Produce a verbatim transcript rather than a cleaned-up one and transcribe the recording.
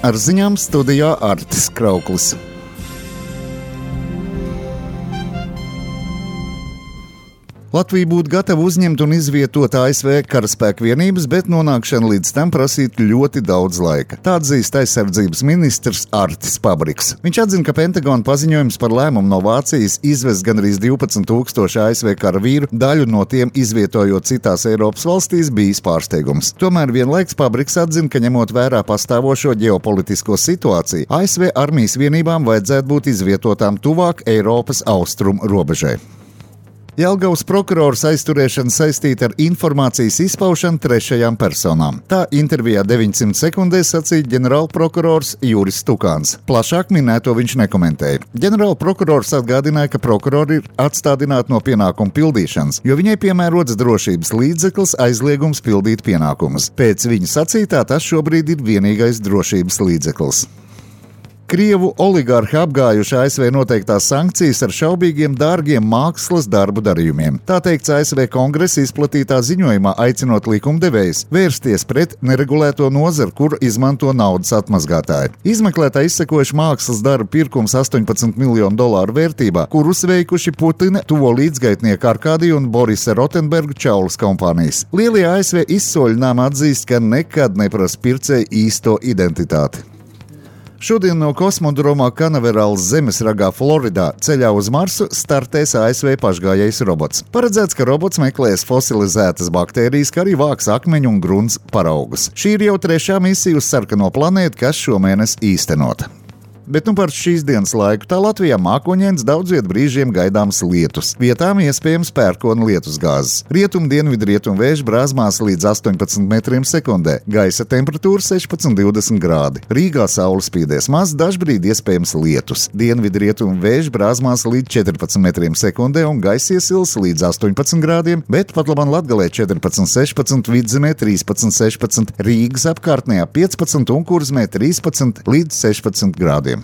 Ar ziņām studijā Artis Krauklis. Latvija būtu gatava uzņemt un izvietot A S V karaspēku vienības, bet nonākšana līdz tam prasītu ļoti daudz laika. Tā atzīst aizsardzības ministrs Artis Pabriks. Viņš atzina, ka Pentagona paziņojums par lēmumu no Vācijas izvest gandrīz divpadsmit tūkstoši A S V karavīru, daļu no tiem izvietojot citās Eiropas valstīs, bijis pārsteigums. Tomēr vienlaiks Pabriks atzina, ka ņemot vērā pastāvošo ģeopolitisko situāciju, A S V armijas vienībām vajadzētu būt izvietotām tuvāk Eiropas austrumu robežai. Jelgavas prokurors aizturēšana saistīta ar informācijas izpaušanu trešajām personām. Tā intervijā deviņsimt sekundēs sacīja ģenerālprokurors Juris Tukāns. Plašāk minēto viņš nekomentēja. Ģenerālprokurors atgādināja, ka prokurori ir atstādināti no pienākumu pildīšanas, jo viņai piemērots drošības līdzeklis aizliegums pildīt pienākumus. Pēc viņa sacītā tas šobrīd ir vienīgais drošības līdzeklis. Krievu oligarhi apgājuši A S V noteiktās sankcijas ar šaubīgiem dārgiem mākslas darbu darījumiem. Tā teikts A S V kongresa izplatītā ziņojumā, aicinot likumdevējus vērsties pret neregulēto nozaru, kuru izmanto naudas atmazgātāji. Izmeklētāji izsekojuši mākslas darbu pirkums astoņpadsmit miljonu dolāru vērtībā, kurus veikuši Putina tuvo līdzgaitnieku Arkādiju un Borisa Rotenbergu čaulas kompānijas. Lielie A S V izsoļinājumi atzīst, ka nekad neprasa pircēju īsto identitāti. Šodien no kosmodromā Kanaverāls zemesragā Floridā ceļā uz Marsu startēs A S V pašgājējs robots. Paredzēts, ka robots meklēs fosilizētas baktērijas, kā arī vāks akmeņu un grunts paraugus. Šī ir jau trešā misija uz sarkano planētu, kas šomēnes īstenota. Bet nu par šīs dienas laiku tā Latvijā mākoņains, daudz viet brīžiem gaidāms lietus. Vietām iespējams pērkona lietusgāzes. Rietum dienvidu rietum vēju brāzmās līdz astoņpadsmit metriem sekundē. Gaisa temperatūra sešpadsmit līdz divdesmit grādi. Rīgā saule spīdēs maz, dažbrīd iespējams lietus. Dienvidu rietum vēju brāzmās līdz četrpadsmit metriem sekundē un gaisa iesils līdz astoņpadsmit grādiem, bet pat labam Latgalē četrpadsmit, sešpadsmit, Vidzemē trīspadsmit, sešpadsmit, Rīgas apkārtnē piecpadsmit un Kurzemē trīspadsmit līdz sešpadsmit grādiem.